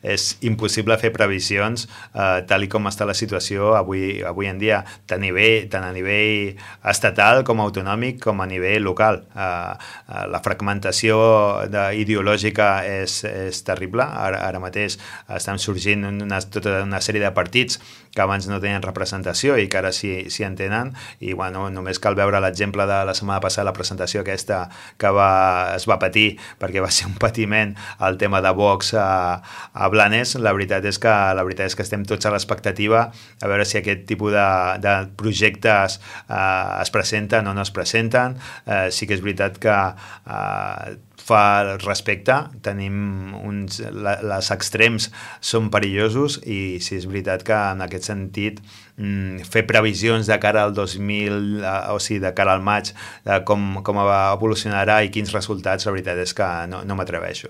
és impossible fer previsions tal i com està la situació avui en dia, tant a nivell estatal com autonòmic com a nivell local. La fragmentació ideològica és terrible. Ara mateix estan sorgint tota una sèrie de partits que abans no tenien representació i que ara sí en tenen, i bueno, només cal veure l'exemple de la setmana passada, la presentació aquesta que es va patir, perquè va ser un patiment el tema de Vox a Blanes. La veritat és que estem tots a l'expectativa a veure si aquest tipus de projectes es presenten o no es presenten. Sí que és veritat que fa respecte, les extrems són perillosos, i sí és veritat que en aquest sentit fer previsions de cara al 2000, o sigui, de cara al maig, com evolucionarà i quins resultats, la veritat és que no m'atreveixo.